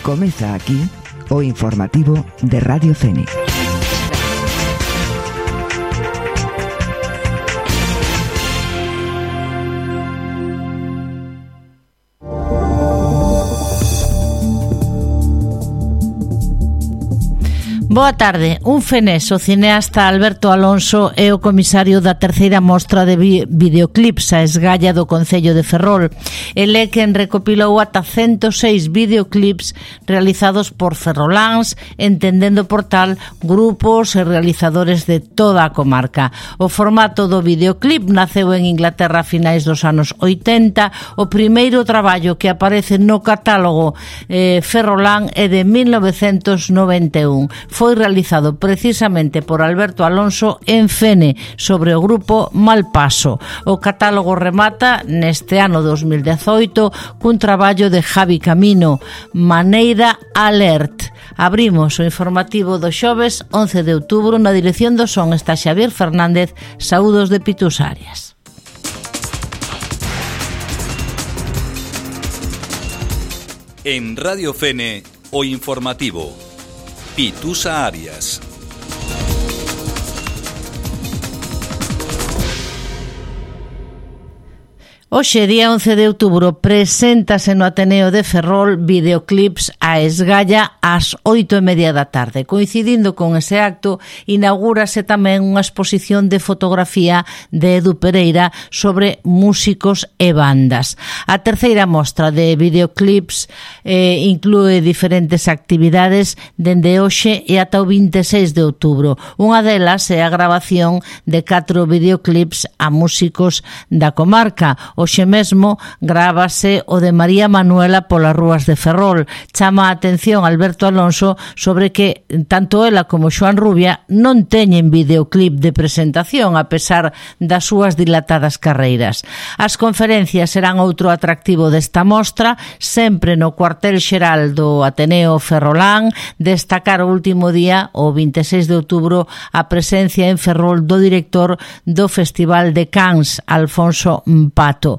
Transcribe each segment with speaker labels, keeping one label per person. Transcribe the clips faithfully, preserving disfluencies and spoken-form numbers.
Speaker 1: Comeza aquí o informativo de Radio Fénix.
Speaker 2: Boa tarde. Un fenés, o cineasta Alberto Alonso é o comisario da terceira mostra de vi- videoclips a esgalla do Concello de Ferrol. El é quen recopilou ata ciento seis videoclips realizados por ferroláns, entendendo por tal grupos e realizadores de toda a comarca. O formato do videoclip naceu en Inglaterra a finais dos anos oitenta. O primeiro traballo que aparece no catálogo eh, ferrolán é de mil novecentos noventa e un. Foi realizado precisamente por Alberto Alonso en Fene sobre o grupo Malpaso. O catálogo remata neste ano dos mil dezoito cun traballo de Javi Camino, Maneira Alert. Abrimos o informativo do xoves once de outubro. Na dirección do son está Xavier Fernández. Saúdos de Pitus Arias.
Speaker 3: En Radio Fene, o informativo Pitusa Arias.
Speaker 2: Hoxe, día once de outubro, preséntase no Ateneo de Ferrol videoclips a esgalla ás oito e media da tarde. Coincidindo con ese acto, inaugúrase tamén unha exposición de fotografía de Edu Pereira sobre músicos e bandas. A terceira mostra de videoclips eh, inclúe diferentes actividades dende hoxe e ata o vinte e seis de outubro. Unha delas é a grabación de catro videoclips a músicos da comarca. Hoxe mesmo grábase o de María Manuela polas rúas de Ferrol. Chama a atención Alberto Alonso sobre que tanto ela como Xoán Rubia non teñen videoclip de presentación a pesar das súas dilatadas carreiras. As conferencias serán outro atractivo desta mostra, sempre no cuartel xeral do Ateneo Ferrolán. Destacar o último día, o vinte e seis de outubro, a presencia en Ferrol do director do Festival de Cans, Alfonso Pato.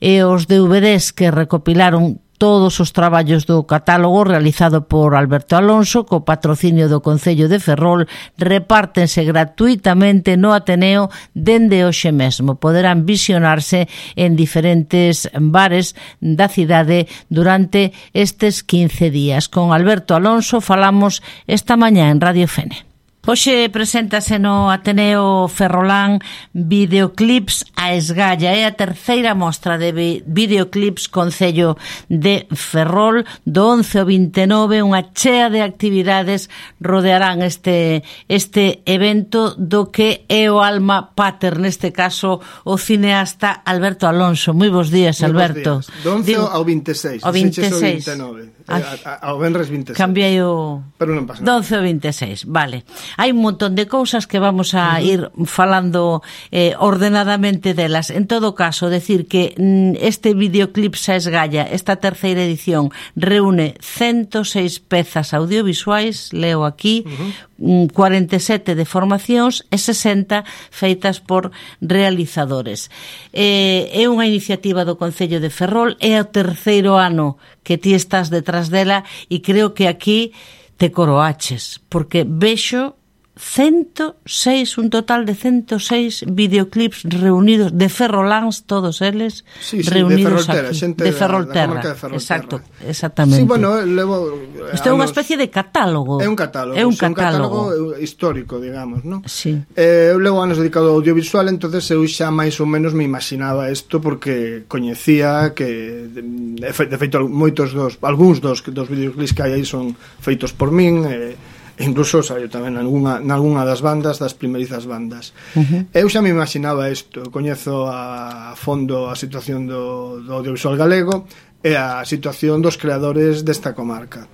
Speaker 2: E os D V Ds que recopilaron todos os traballos do catálogo realizado por Alberto Alonso co patrocinio do Concello de Ferrol repártense gratuitamente no Ateneo dende hoxe mesmo. Poderán visionarse en diferentes bares da cidade durante estes quince días. Con Alberto Alonso falamos esta mañá en Radio Fene. Hoxe preséntase no Ateneo Ferrolán videoclips a esgalla. É a terceira mostra de videoclips Concello de Ferrol. Do once ao vinte e nove, unha chea de actividades rodearán este, este evento do que é o alma pater, neste caso o cineasta Alberto Alonso. Moi bons días, Alberto.
Speaker 4: Do once Digo, ao vinte e seis.
Speaker 2: Ao vinte e seis.
Speaker 4: vinte e nove. Ao venres vinte e seis.
Speaker 2: Cambiei o...
Speaker 4: Pero non pasa
Speaker 2: Do
Speaker 4: nada.
Speaker 2: once ao vinte e seis, vale. Hai un montón de cousas que vamos a uh-huh. ir falando eh, ordenadamente delas. En todo caso, decir que mm, este videoclip xa esgalla, esta terceira edición, reúne ciento seis pezas audiovisuais, leo aquí, uh-huh. cuarenta e sete de formacións e sesenta feitas por realizadores. Eh, é unha iniciativa do Concello de Ferrol, é o terceiro ano que ti estás detrás dela e creo que aquí te coroaches, porque vexo ciento seis, un total de ciento seis videoclips reunidos de ferroláns, todos eles
Speaker 4: sí, sí,
Speaker 2: reunidos
Speaker 4: de Ferrolterra,
Speaker 2: aquí,
Speaker 4: xente
Speaker 2: de
Speaker 4: Ferrolterra.
Speaker 2: Ferrolterra. De Exacto, exactamente.
Speaker 4: Sí, bueno, levo
Speaker 2: isto é unha especie de catálogo.
Speaker 4: É un catálogo,
Speaker 2: é un
Speaker 4: sí,
Speaker 2: catálogo.
Speaker 4: un catálogo histórico, digamos, ¿no?
Speaker 2: Sí.
Speaker 4: Eh, eu levo anos dedicado ao audiovisual, entonces eu xa máis ou menos me imaginaba isto porque coñecía que de feito moitos dos, algúns dos dos videoclips que hai aí son feitos por min, eh, incluso saiu tamén nalgúna, nalgúna das bandas, das primerizas bandas. Uh-huh. Eu xa me imaginaba isto, coñezo a fondo a situación do, do audiovisual galego e a situación dos creadores desta comarca.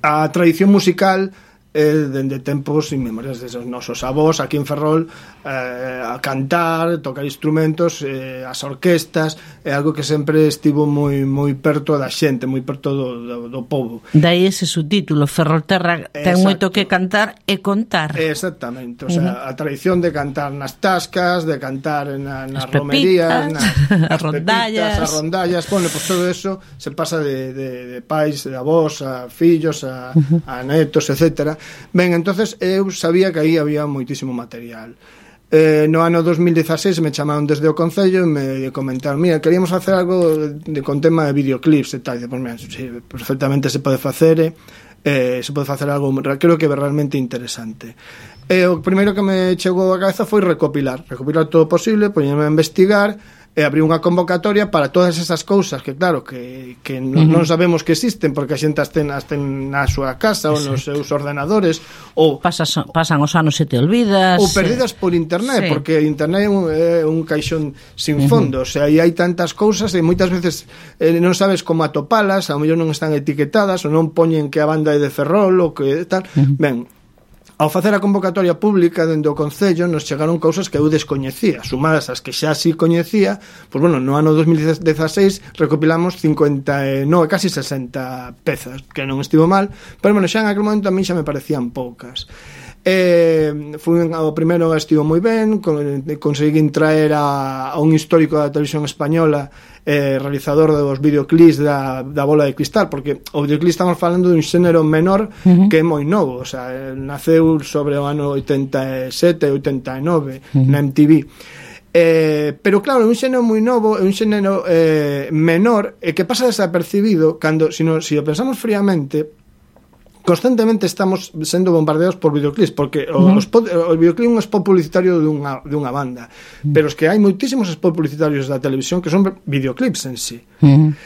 Speaker 4: A tradición musical eh, dende tempos inmemoriales desde os nosos avós aquí en Ferrol, eh, a cantar, tocar instrumentos, eh, as orquestas, é algo que sempre estivo moi moi perto da xente, moi perto do, do, do povo.
Speaker 2: Dai ese subtítulo, Ferrolterra ten moito que cantar e contar.
Speaker 4: Exactamente, o sea, uh-huh. a tradición de cantar nas tascas, de cantar na, nas
Speaker 2: as
Speaker 4: romerías, nas,
Speaker 2: as rondallas,
Speaker 4: as rondallas, bueno, pues todo eso se pasa de, de, de pais, de avós, a fillos, a, uh-huh. a netos, etcétera. Ben, entonces eu sabía que aí había moitísimo material. Eh, no ano dos mil dieciséis me chamaron desde o Concello e me comentaron, mira, queríamos facer algo de, con tema de videoclips e tal, e pues, mira, sí, perfectamente se pode facer, eh, se pode facer algo, creo que é realmente interesante. E o primeiro que me chegou a cabeza foi recopilar, recopilar todo o posible, poñerme a investigar, e abrir unha convocatoria para todas esas cousas que claro, que, que non, uh-huh. non sabemos que existen porque a xente as ten, as ten na súa casa ou nos seus ordenadores ou
Speaker 2: Pasas, pasan os anos e te olvidas
Speaker 4: ou perdidas por internet, sí. porque internet é un, é un caixón sin fondo, uh-huh. o sea, aí hai tantas cousas e moitas veces eh, non sabes como atopalas, ao mellor non están etiquetadas ou non poñen que a banda é de Ferrol ou que tal, uh-huh. ben, ao facer a convocatoria pública dende o Concello nos chegaron cousas que eu descoñecía, sumadas as que xa sí coñecía, pois bueno, no ano dos mil dieciséis recopilamos cincuenta e nove, casi sesenta pezas, que non estivo mal, pero bueno, xa en aquel momento a mí xa me parecían poucas. Eh, fui o primeiro estivo moi ben, consegui traer a, a un histórico da televisión española, eh, realizador dos videoclips da, da Bola de Cristal, porque o videoclip estamos falando dun xénero menor uh-huh. que é moi novo, o sea, naceu sobre o ano oitenta e sete, oitenta e nove uh-huh. na M T V. Eh, pero claro, é un xénero moi novo, é un xénero eh, menor e que pasa desapercibido cando, se si, si o pensamos fríamente, constantemente estamos sendo bombardeados por videoclips, porque uh-huh. os pod, o videoclip é un spot publicitario dunha, dunha banda, uh-huh. pero es que hai moitísimos spot publicitarios da televisión que son videoclips en sí.
Speaker 2: Uh-huh.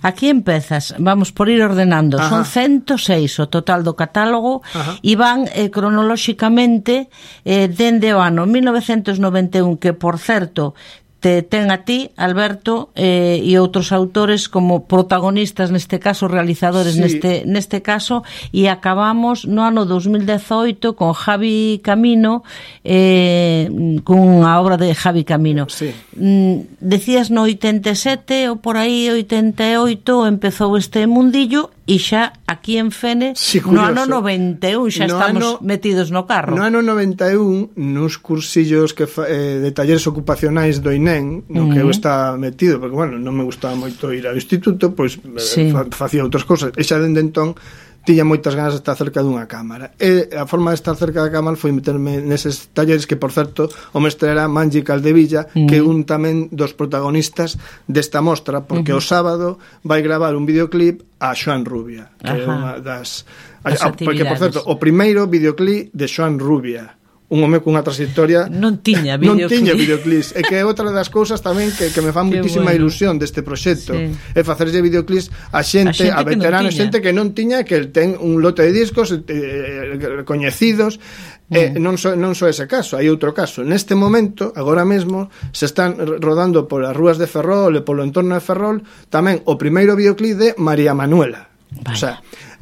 Speaker 2: Aquí empezas, vamos por ir ordenando. Ajá. Son ciento seis o total do catálogo. Ajá. E van eh, cronolóxicamente eh, dende o ano mil novecentos noventa e un, que por certo te ten a ti, Alberto, eh, e outros autores como protagonistas, neste caso realizadores, sí. neste neste caso, e acabamos no ano dos mil dezoito con Javi Camino, eh, con a obra de Javi Camino.
Speaker 4: Sí.
Speaker 2: Mm, decías no oitenta e sete ou por aí oitenta e oito empezou este mundillo e xa aquí en Fene
Speaker 4: sí,
Speaker 2: no ano noventa e un xa no estamos ano, metidos no carro.
Speaker 4: No ano noventa e un, nos cursillos que fa, eh, de talleres ocupacionais do I N E M, no uh-huh. que eu estaba metido, porque, bueno, non me gustaba moito ir ao instituto, pois sí. fa, facía outras cousas, e xa dende entón tiña moitas ganas de estar cerca dunha cámara, e a forma de estar cerca da cámara foi meterme neses talleres que, por certo, o mestre era Manji Caldevilla, uh-huh. que é un tamén dos protagonistas desta mostra, porque uh-huh. o sábado vai gravar un videoclip a Xoán Rubia, que Ajá. é unha das a, a, porque, por certo, o primeiro videoclip de Xoán Rubia, un home cunha trayectoria
Speaker 2: non tiña videoclip,
Speaker 4: non tiña videoclips, e que é outra das cousas tamén que, que me fan muitísima bueno. ilusión deste proxecto, sí. é facerlle videoclips a xente, a, a veteranos, xente que non tiña, que ten un lote de discos eh, coñecidos, mm. eh, non so, non so ese caso, hai outro caso. Neste momento, agora mesmo, se están rodando por as rúas de Ferrol e polo entorno de Ferrol tamén o primeiro videoclip de María Manuela. Vaya. O sea,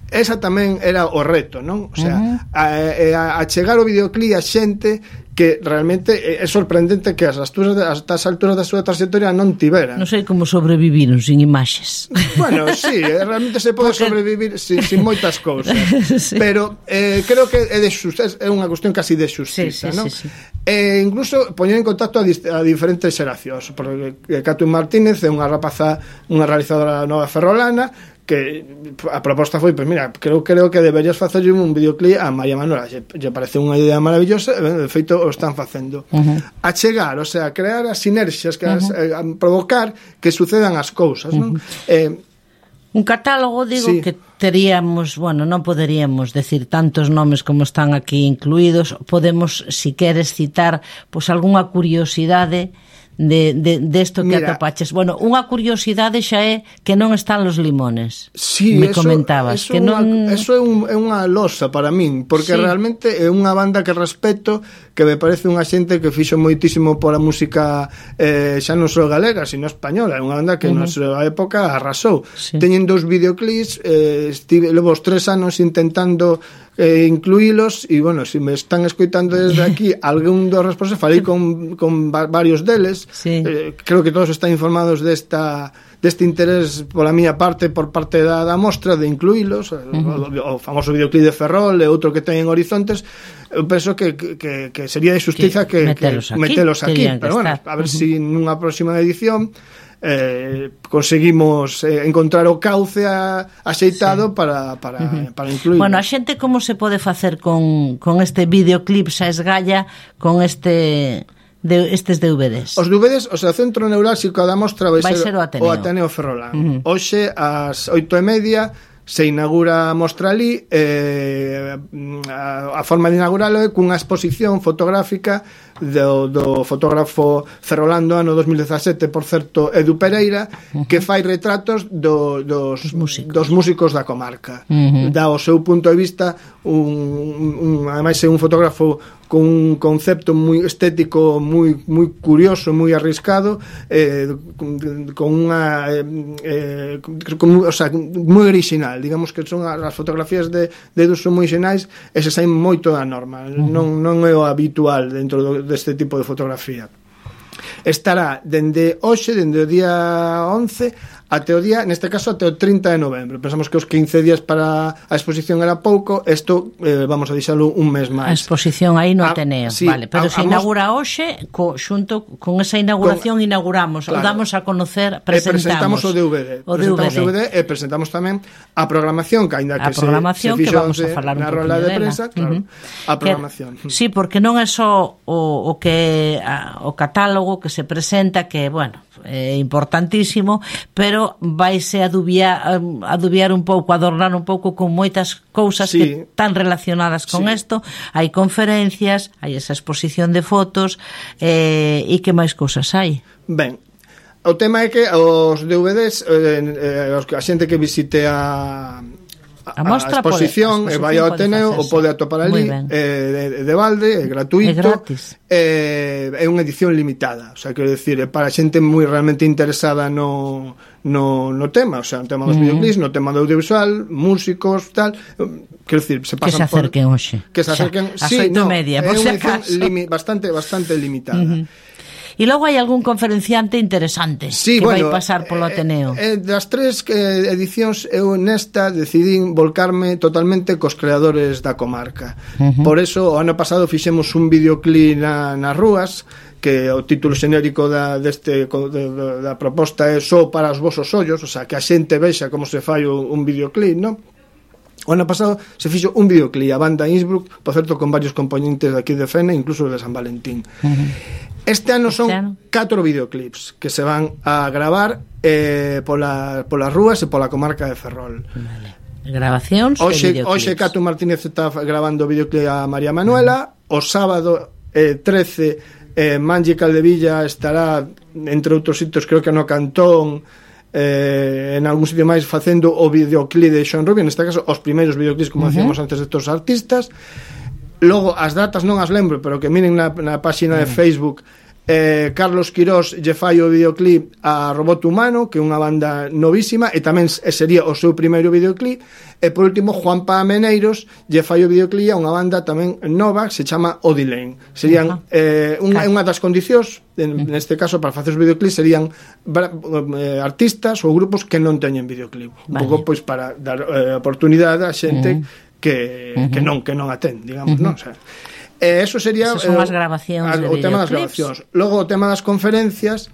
Speaker 4: esa tamén era o reto, non? O sea, uh-huh. a, a, a chegar o videoclip a xente que realmente é sorprendente que as alturas, hasta as alturas da súa trayectoria non tiveran.
Speaker 2: Non sei como sobreviviron sin imaxes.
Speaker 4: Bueno, sí, realmente se pode Porque... sobrevivir sin, sin moitas cousas. Sí. Pero eh, creo que é de xustiza, é unha cuestión casi de xustiza, sí, sí, non? Sí, sí. E incluso poñer en contacto a, a diferentes xeracións, porque Catherine Martínez é unha rapaza, unha realizadora nova ferrolana, que a proposta foi, pois mira, creo creo que deberías facer un videoclip a María Manuela, lle, lle parece unha idea maravillosa, de feito o están facendo. Uh-huh. A chegar, o sea, crear as sinerxias, que uh-huh. as, eh, a provocar que sucedan as cousas, non? Uh-huh. Eh,
Speaker 2: un catálogo, digo, sí. que teríamos, bueno, non poderíamos decir tantos nomes como están aquí incluídos, podemos, si queres citar, pois algunha curiosidade de, de, de esto que Mira, atopaches. Bueno, unha curiosidade xa é que non están los limones.
Speaker 4: Sí,
Speaker 2: me
Speaker 4: eso,
Speaker 2: comentabas
Speaker 4: eso
Speaker 2: que non...
Speaker 4: Eso é, un, é unha losa para min, porque sí. realmente é unha banda que respeto, que me parece unha xente que fixo moitísimo por a música eh, xa non só galega, sino española. É unha banda que uh-huh. na súa época arrasou. Sí. Teñen dous videoclips, eh, estive, levo os tres anos intentando eh, incluílos, e, bueno, se me están escoitando desde aquí algún dos responsables, falei con, con va, varios deles,
Speaker 2: sí.
Speaker 4: eh, creo que todos están informados desta deste interés pola miña parte, por parte da, da mostra, de incluílos, uh-huh. o, o famoso videoclip de Ferrol e outro que ten en Horizontes. Eu penso que, que, que sería de xustiza que, que,
Speaker 2: metelos
Speaker 4: que
Speaker 2: aquí,
Speaker 4: metelos aquí, pero bueno,
Speaker 2: estar.
Speaker 4: a ver uh-huh.
Speaker 2: si
Speaker 4: si nunha próxima edición eh, conseguimos eh, encontrar o cauce a, axeitado sí. para, para, uh-huh. para incluir.
Speaker 2: Bueno, a xente como se pode facer con, con este videoclip xa esgalla, con este de estes D V Ds?
Speaker 4: Os D V Ds, o sea, o centro neurálxico da mostra vai,
Speaker 2: vai
Speaker 4: ser,
Speaker 2: ser o Ateneo,
Speaker 4: o Ateneo Ferrolán.
Speaker 2: Uh-huh.
Speaker 4: Hoxe ás oito e media se inaugura a mostra ali, eh, a, a forma de inauguralo é cunha exposición fotográfica do, do fotógrafo ferrolano ano dos mil dezasete, por certo, Edu Pereira, uh-huh. que fai retratos do, dos, músicos. dos músicos da comarca. Uh-huh. Dá o seu punto de vista, un, un, ademais é un fotógrafo con un concepto moi estético moi moi curioso, moi arriscado, eh, con, con unha eh, con, o sea, moi original, digamos que son as fotografías de, de Edu son moi xenais e se saen moito da norma, uh-huh. non, non é o habitual dentro do, deste tipo de fotografía. Estará dende hoxe, dende o día once até o día, neste caso até o trinta de novembro. Pensamos que os quince días para a exposición era pouco, isto eh, vamos a deixalo un mes máis.
Speaker 2: A exposición aí no
Speaker 4: a,
Speaker 2: Ateneo,
Speaker 4: sí,
Speaker 2: vale, pero a, se inaugura hoxe, co, xunto con esa inauguración con, inauguramos, claro, o damos a conocer, presentamos,
Speaker 4: e presentamos o D V D,
Speaker 2: o
Speaker 4: presentamos
Speaker 2: D V D.
Speaker 4: o D V D e presentamos tamén a programación, que aínda que
Speaker 2: a programación
Speaker 4: se, se
Speaker 2: que vamos a falar un
Speaker 4: na rola de prensa, claro, uh-huh. a programación.
Speaker 2: Que, sí, porque non é só o, o que a, o catálogo que se presenta, que, bueno, é importantísimo, pero vaise adubiar, adubiar un pouco, adornar un pouco con moitas cousas sí. que están relacionadas con isto. Sí. Hai conferencias, hai esa exposición de fotos, eh, e que máis cousas hai?
Speaker 4: Ben, o tema é que os D V Ds, eh, eh, a xente que visite a
Speaker 2: A, mostra,
Speaker 4: a exposición,
Speaker 2: pode, a exposición
Speaker 4: e vai ao Ateneo, o pode atopar ali, eh, de, de balde, é gratuito, é, é unha edición limitada, o sea, quero decir, é para xente moi realmente interesada no, no, no tema, o sea, no tema dos mm. videoclips, no tema do audiovisual, músicos, tal, quero decir, se pasan
Speaker 2: que se acerquen
Speaker 4: por,
Speaker 2: hoxe,
Speaker 4: que se acerquen,
Speaker 2: xa, sí, no, media,
Speaker 4: é unha
Speaker 2: edición
Speaker 4: limi, bastante, bastante limitada. Mm-hmm.
Speaker 2: E logo hai algún conferenciante interesante
Speaker 4: sí,
Speaker 2: que
Speaker 4: bueno,
Speaker 2: vai pasar polo Ateneo.
Speaker 4: Eh, eh, das tres eh, edicións, eu nesta decidín volcarme totalmente cos creadores da comarca. Uh-huh. Por eso, o ano pasado fixemos un videoclip na, nas rúas, que o título xenérico da, deste, de, da proposta é Só para os vosos ollos, o sea, que a xente vexa como se fai un, un videoclip, non? O ano pasado se fixo un videoclip a banda Innsbruck, por certo, con varios componentes de aquí de Fene, incluso de San Valentín. Uh-huh. Este ano son este ano? catro videoclips que se van a gravar eh, pola, polas rúas e pola comarca de Ferrol.
Speaker 2: Vale. Grabacións
Speaker 4: hoxe,
Speaker 2: e videoclips.
Speaker 4: Hoxe Cato Martínez está grabando o videoclip a María Manuela. Uh-huh. O sábado eh, trece eh, Mangi Caldevilla estará, entre outros sitios, creo que no Cantón, eh, en algún sitio máis, facendo o videoclip de Sean Rubio, neste caso os primeiros videoclips, como uh-huh. hacíamos antes de todos os artistas. Logo, as datas non as lembro, pero que miren na, na páxina uh-huh. de Facebook, eh, Carlos Quirós lle fai o videoclip a Robot Humano, que é unha banda novísima, e tamén sería o seu primeiro videoclip. E por último, Juanpa Meneiros lle fai o videoclip a unha banda tamén nova, que se chama Odilane. Serían uh-huh. eh, unha, unha das condicións, en, neste caso, para facer os videoclips, serían eh, artistas ou grupos que non teñen videoclip. Vale. Un pouco, pois, para dar eh, oportunidade a xente uh-huh. que, uh-huh. que non que non atén, digamos, uh-huh. non? O sea, eh, eso sería
Speaker 2: Esas son eh, as grabacións
Speaker 4: a,
Speaker 2: de
Speaker 4: o tema das grabacións. Logo o tema das conferencias,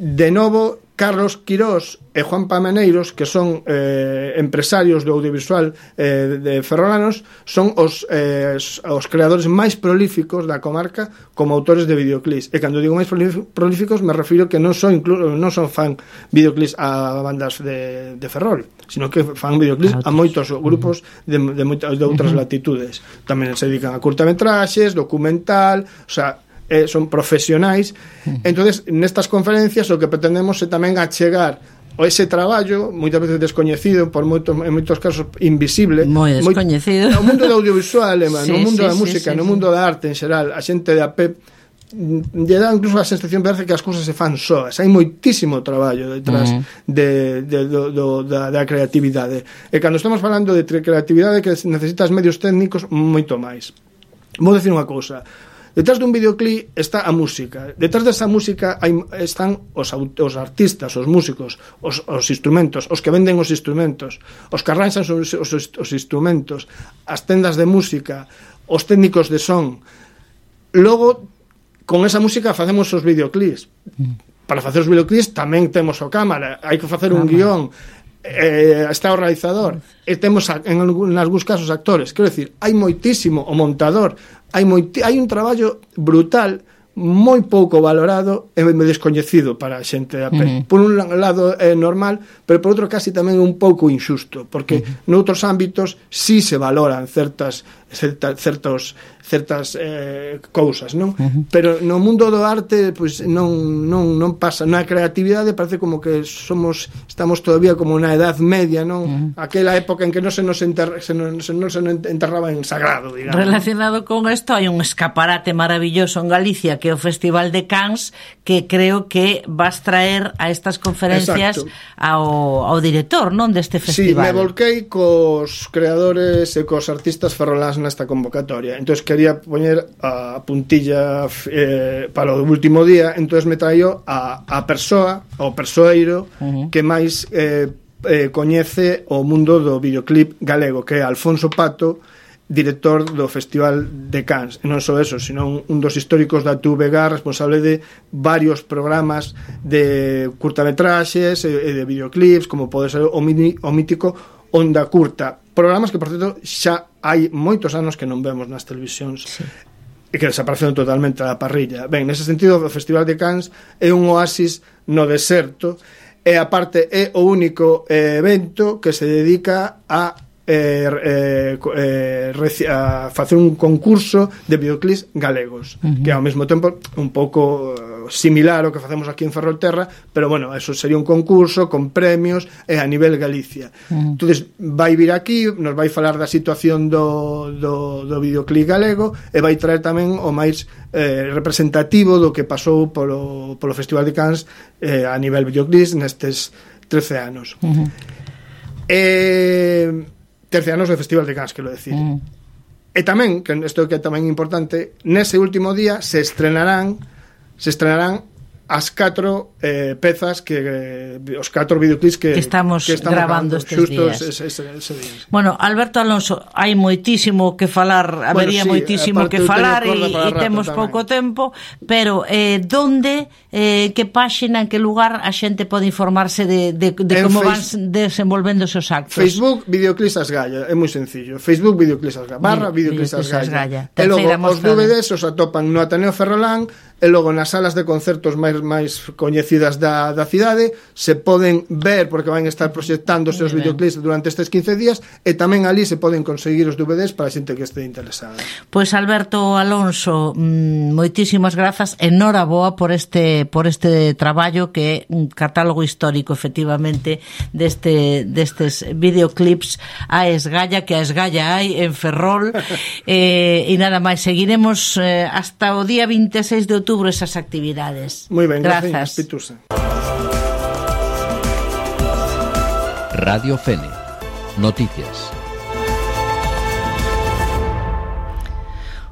Speaker 4: de novo Carlos Quirós e Juanpa Meneiros, que son eh, empresarios do audiovisual eh, de ferrolanos, son os, eh, os creadores máis prolíficos da comarca como autores de videoclips. E cando digo máis prolíficos, me refiro que non son incluso non son fan videoclips a bandas de, de Ferrol, sino que fan videoclips a moitos grupos de, de, moitas, de outras latitudes. Tamén se dedican a curtametraxes, documental, o sea, Eh, son profesionais. Entonces, nestas conferencias o que pretendemos é tamén achegar o ese traballo, moitas veces descoñecido, por moitos, en moitos casos invisible,
Speaker 2: moi descoñecido,
Speaker 4: no mundo do audiovisual, sí, no mundo sí, da música, sí, sí, no mundo
Speaker 2: sí.
Speaker 4: da arte en xeral, a xente de a pé lle dá incluso a sensación parece que as cousas se fan soas. Hai moitísimo traballo detrás uh-huh. de, de, do, do, da, da creatividade. E cando estamos falando de creatividade que necesitas medios técnicos, moito máis. Vou dicir unha cousa. Detrás dun videoclip está a música. Detrás desa música hai, están os, os artistas, os músicos, os, os instrumentos, os que venden os instrumentos, os que arranxan os, os, os instrumentos, as tendas de música, os técnicos de son. Logo, con esa música facemos os videoclips. Para facer os videoclips tamén temos o cámara, hai que facer un guión, eh, está o realizador, e temos en algúns casos actores. Quero dicir, hai moitísimo o montador, hai, moiti, hai un traballo brutal, moi pouco valorado e descoñecido para a xente a pé. Uh-huh. Por un lado é normal, pero por outro casi tamén un pouco injusto, porque uh-huh. noutros ámbitos sí se valoran certas certa, certos certas eh, cousas, non? Uh-huh. Pero no mundo do arte pois non non non pasa, na creatividade parece como que somos estamos todavía como na edad media, non? Uh-huh. Aquela época en que non se nos enter, se non se, non se enterraba en sagrado, digamos.
Speaker 2: Relacionado con isto hai un escaparate maravilloso en Galicia que é o Festival de Cannes, que creo que vas traer a estas conferencias ao, ao director, non, deste festival.
Speaker 4: Sí, me volquei cos creadores e cos artistas ferroláns nesta convocatoria. Entonces quería poñer a puntilla eh, para o último día, entonces me traio a, a persoa, o persoeiro uh-huh. que máis eh, eh, coñece o mundo do videoclip galego, que é Alfonso Pato, director do Festival de Cannes. E non só eso, sino un dos históricos da T V G, responsable de varios programas de curtametraxes e de videoclips, como pode ser o, mini, o mítico Onda Curta. Programas que, por certo, xa hai moitos anos que non vemos nas televisións. Sí. E que desaparecen totalmente da parrilla. Ben, nese sentido, o Festival de Cannes é un oasis no deserto, e aparte é o único eh, evento que se dedica a Eh, eh, eh, a facer un concurso de videoclips galegos, uh-huh. que ao mesmo tempo un pouco similar ao que facemos aquí en Ferrolterra, pero bueno, eso sería un concurso con premios e a nivel Galicia. Uh-huh. Entonces vai vir aquí, nos vai falar da situación do, do, do videoclip galego e vai traer tamén o máis eh, representativo do que pasou polo, polo Festival de Cannes eh, a nivel videoclips nestes trece anos. Uh-huh. Eh trece anos do Festival de Cannes, quero decir. Mm. E tamén, que isto que é tamén importante, nese último día se estrenarán se estrenarán as catro eh, pezas que eh, os catro videoclips que,
Speaker 2: que estamos,
Speaker 4: que estamos
Speaker 2: grabando estes días.
Speaker 4: Ese, ese, ese día.
Speaker 2: Bueno, Alberto Alonso, hai moitísimo que falar, habería bueno, sí, moitísimo que falar e, e temos tamén pouco tempo, pero eh, donde, eh, que páxina, en que lugar a xente pode informarse de, de, de como face... van desenvolvendo os actos?
Speaker 4: Facebook, Videoclips Asgalla, é moi sencillo. Facebook, Videoclips Asgalla, barra Videoclips Asgalla. E logo os D V Ds os atopan no Ateneo Ferrolán, e logo nas salas de concertos máis máis coñecidas da, da cidade se poden ver, porque van estar proxectando os seus videoclips durante estes quince días, e tamén ali se poden conseguir os D V Ds para a xente que este interesada.
Speaker 2: Pois Alberto Alonso, moitísimas grazas, enhoraboa por este por este traballo que é un catálogo histórico efectivamente deste destes videoclips a esgalla, que a esgalla hai en Ferrol. eh, e nada máis, seguiremos eh, hasta o día vinte e seis de outubro esas actividades.
Speaker 4: Moi ben, grazas, Pitusa.
Speaker 3: Radio Fene. Noticias.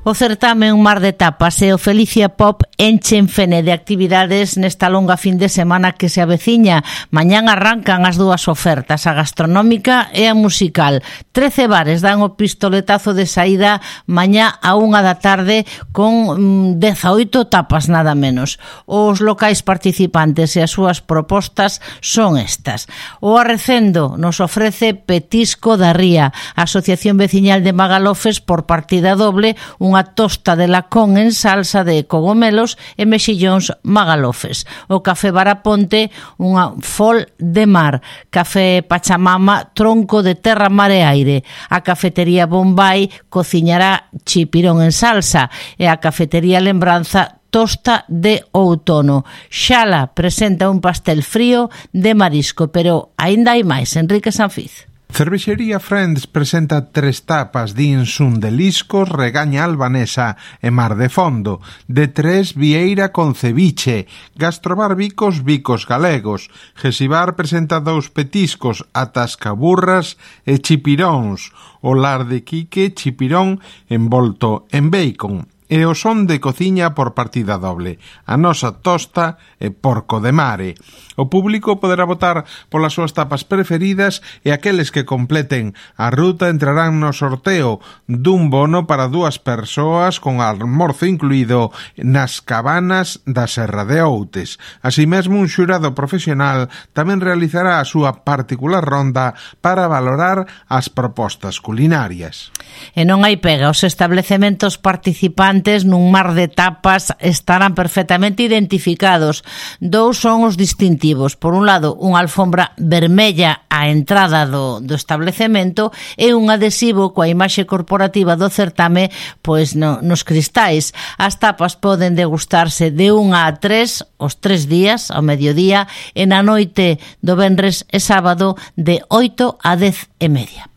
Speaker 2: O certame Un mar de tapas e o Felicia Pop enchen Fene de actividades nesta longa fin de semana que se aveciña. Mañán arrancan as dúas ofertas, a gastronómica e a musical. Trece bares dan o pistoletazo de saída mañá a unha da tarde con dezaoito tapas nada menos. Os locais participantes e as súas propostas son estas. O Arrecendo nos ofrece Petisco da Ría, a Asociación Veciñal de Magalofes por partida doble, unha tosta de lacón en salsa de cogomelos e mexillóns magalofes. O Café Baraponte, unha fol de mar. Café Pachamama, tronco de terra, mar e aire. A Cafetería Bombay cociñará chipirón en salsa e a Cafetería Lembranza tosta de outono. Xala presenta un pastel frío de marisco, pero aínda hai máis. Enrique Sanfiz.
Speaker 5: Cervexería Friends presenta tres tapas de Insun de Liscos, Regaña Albanesa e Mar de Fondo, de Tres Vieira con ceviche, Gastrobar Bicos, Bicos Galegos, Gesibar presenta dous petiscos, Atascaburras e Chipiróns, o Lar de Quique, Chipirón envolto en bacon, e o son de cociña por partida doble, a nosa tosta e porco de mare. O público poderá votar polas súas tapas preferidas e aqueles que completen a ruta entrarán no sorteo dun bono para dúas persoas con almorzo incluído nas cabanas da Serra de Outes. Así mesmo, un xurado profesional tamén realizará a súa particular ronda para valorar as propostas culinarias.
Speaker 2: E non hai pega, os establecementos participantes nun mar de tapas estarán perfectamente identificados. Dous son os distintivos. Por un lado, unha alfombra vermella á entrada do, do establecemento e un adhesivo coa imaxe corporativa do certame pois no, nos cristais. As tapas poden degustarse de unha a tres os tres días, ao mediodía, e na noite do venres e sábado de oito a dez e media.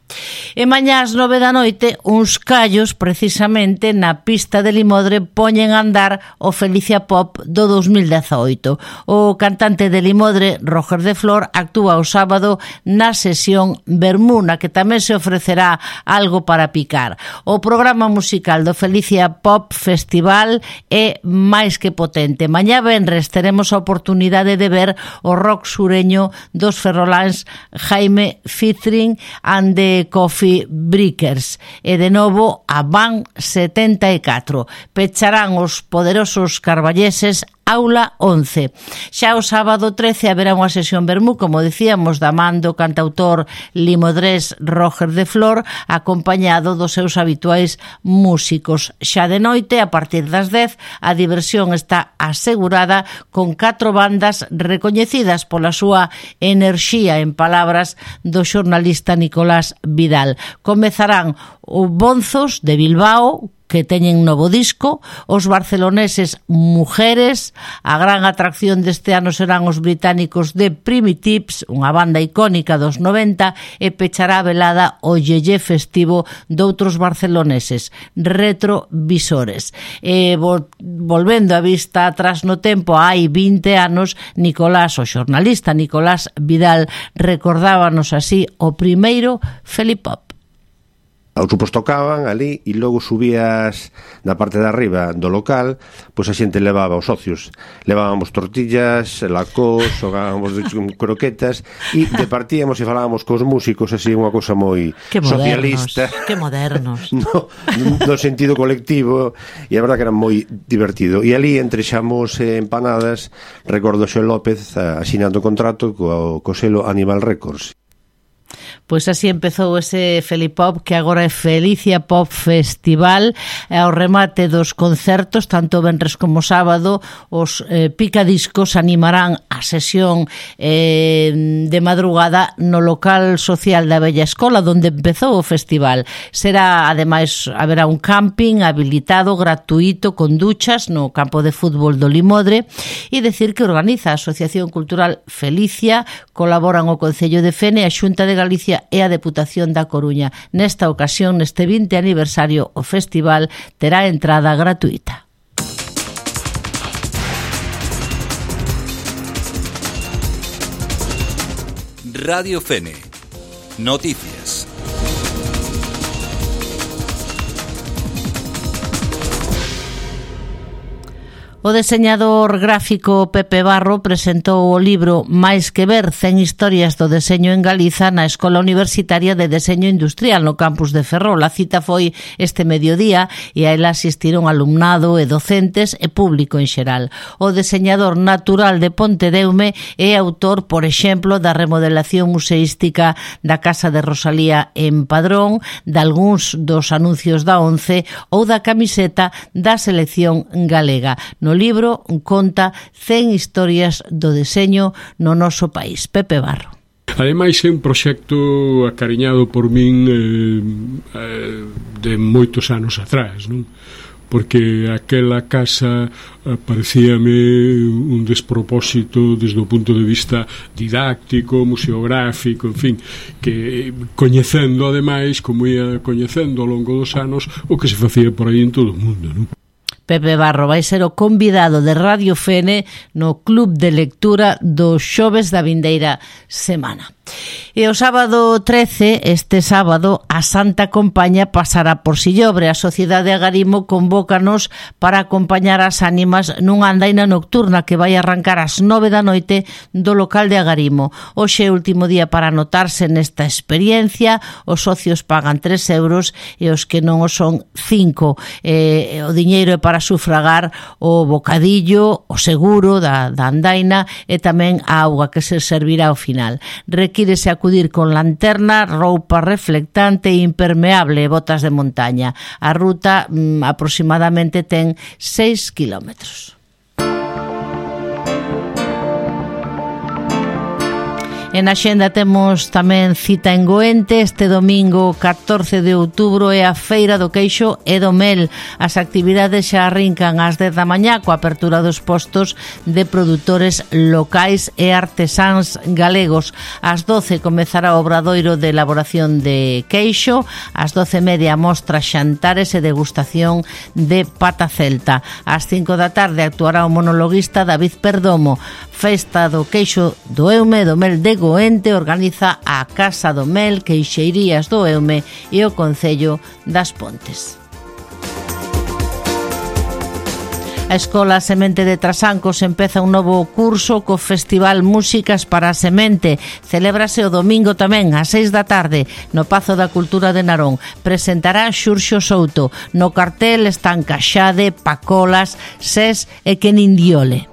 Speaker 2: E mañá ás nove da noite uns callos precisamente na pista de Limodre poñen a andar o Felicia Pop do dos mil dezaoito. O cantante de Limodre, Roger de Flor, actúa o sábado na sesión Bermuna, que tamén se ofrecerá algo para picar. O programa musical do Felicia Pop Festival é máis que potente. Mañá venres teremos a oportunidade de ver o rock sureño dos ferroláns Jaime Fitrin and the Coffee Breakers e de novo a Van setenta e catro. Pecharán os poderosos carballeses Aula once. Xa o sábado trece haberá unha sesión vermú, como dicíamos, da man do cantautor limodrés Roger de Flor, acompañado dos seus habituais músicos. Xa de noite, a partir das dez, a diversión está asegurada con catro bandas recoñecidas pola súa enerxía, en palabras do xornalista Nicolás Vidal. Comezarán o Bonzos de Bilbao, que teñen novo disco, os barceloneses Mujeres, a gran atracción deste ano serán os británicos de Primitives, unha banda icónica dos noventa, e pechará a velada o yeye festivo doutros barceloneses, Retrovisores. E vol- volvendo a vista atrás no tempo, hai vinte anos, Nicolás, o xornalista Nicolás Vidal, recordábanos así o primeiro Felipop.
Speaker 6: Os grupos tocaban ali e logo subías na parte de arriba do local, pois a xente levaba os socios, levábamos tortillas, lacós, xogábamos croquetas e departíamos e falábamos cos músicos, así unha cousa moi
Speaker 2: que
Speaker 6: socialista,
Speaker 2: que modernos
Speaker 6: no, no sentido colectivo, e a verdad que era moi divertido. E ali entre xamos e empanadas recordo Xo López asinando contrato co, co selo Animal Records.
Speaker 2: Pois así empezou ese Felipop, que agora é Felicia Pop Festival. E ao remate dos concertos, tanto venres como sábado, os eh, picadiscos animarán a sesión eh, de madrugada no local social da Bella Escola, onde empezou o festival. Será, ademais, haberá un camping habilitado, gratuito, con duchas no campo de fútbol do Limodre, e decir que organiza a Asociación Cultural Felicia, colaboran o Concello de Fene, a Xunta de Galicia e a Deputación da Coruña. Nesta ocasión, neste vinte aniversario, o festival terá entrada gratuita.
Speaker 7: Radio Fene. Noticias.
Speaker 2: O deseñador gráfico Pepe Barro presentou o libro Máis que ver, cen historias do deseño en Galiza na Escola Universitaria de Deseño Industrial no campus de Ferrol. A cita foi este mediodía e a ela asistiron alumnado e docentes e público en xeral. O deseñador natural de Pontedeume é autor, por exemplo, da remodelación museística da Casa de Rosalía en Padrón, de algúns dos anuncios da ONCE ou da camiseta da selección galega. No libro conta cen historias do deseño no noso país. Pepe Barro.
Speaker 8: Ademais é un proxecto acariñado por min eh, eh, de moitos anos atrás, non? porque aquela casa parecíame un despropósito desde o punto de vista didáctico, museográfico, en fin, que coñecendo ademais, como ia coñecendo ao longo dos anos, o que se facía por aí en todo o mundo, non?
Speaker 2: Pepe Barro vai ser o convidado de Radio Fene no Club de Lectura do xoves da vindeira semana. E o sábado trece, este sábado, a Santa Compaña pasará por Sillobre. A Sociedade Agarimo convócanos para acompañar as ánimas nunha andaina nocturna que vai arrancar ás nove da noite do local de Agarimo. Hoxe é o último día para anotarse nesta experiencia. Os socios pagan tres euros e os que non o son cinco. Eh, o diñeiro é para sufragar o bocadillo, o seguro da, da andaina e tamén a auga que se servirá ao final. Requírese acudir con lanterna, roupa reflectante e impermeable e botas de montaña. A ruta mm, aproximadamente ten seis kilómetros. En a xenda temos tamén cita en Goente. Este domingo catorce de outubro é a Feira do Queixo e do Mel. As actividades xa arrincan ás dez da mañá coa apertura dos postos de produtores locais e artesáns galegos. Ás doce comezará o obradoiro de elaboración de queixo. Ás doce e media mostra xantares e degustación de pata celta. Ás cinco da tarde actuará o monologuista David Perdomo. Festa do Queixo do Eume e do Mel de Goente organiza a Casa do Mel, Queixeirías do Eume e o Concello das Pontes. A Escola Semente de Trasancos empeza un novo curso co Festival Músicas para a Semente. Celébrase o domingo tamén ás seis da tarde no Pazo da Cultura de Narón. Presentará Xurxo Souto. No cartel están Caxade, Pacolas, Ses e Kenindiole.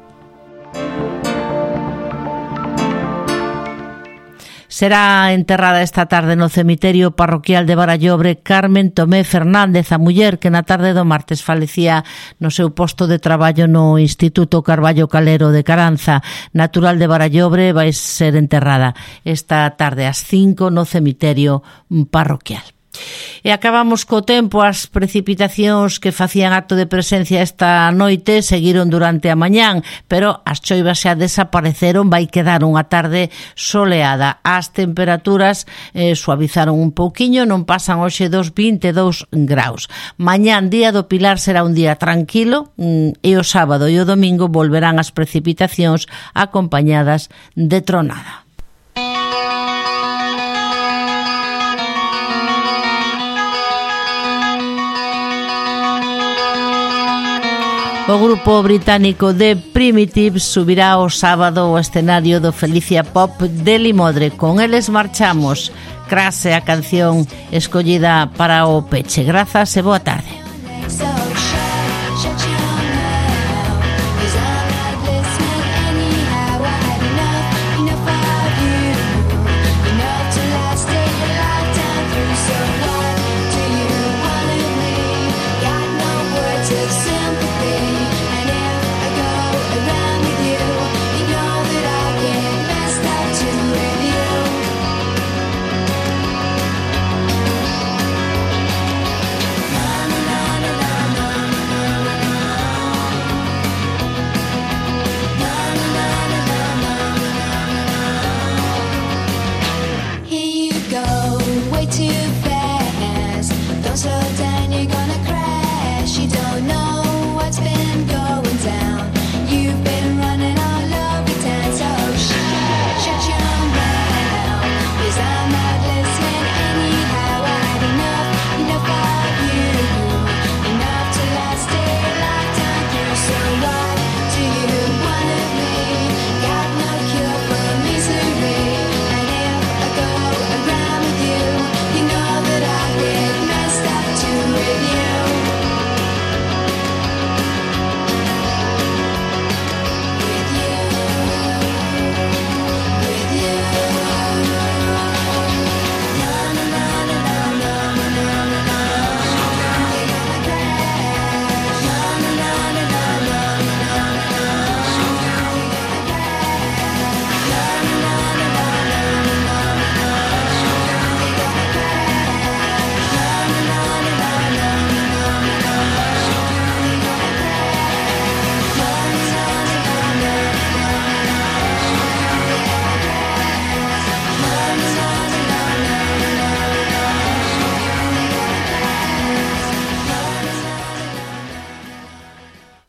Speaker 2: Será enterrada esta tarde no cemiterio parroquial de Barallobre Carmen Tomé Fernández, a muller que na tarde do martes falecía no seu posto de traballo no Instituto Carballo Calero de Caranza. Natural de Barallobre, vai ser enterrada esta tarde ás cinco no cemiterio parroquial. E acabamos co tempo. As precipitacións que facían acto de presencia esta noite seguiron durante a mañán, pero as choivas xa desapareceron. Vai quedar unha tarde soleada. As temperaturas eh, suavizaron un pouquiño, non pasan hoxe dos vinte e dous graus. Mañán, día do Pilar, será un día tranquilo mm, e o sábado e o domingo volverán as precipitacións acompañadas de tronada. O grupo británico The Primitives subirá o sábado ao escenario do Felicia Pop de Limodre. Con eles marchamos. Crash é a canción escollida para o peche. Grazas e boa tarde.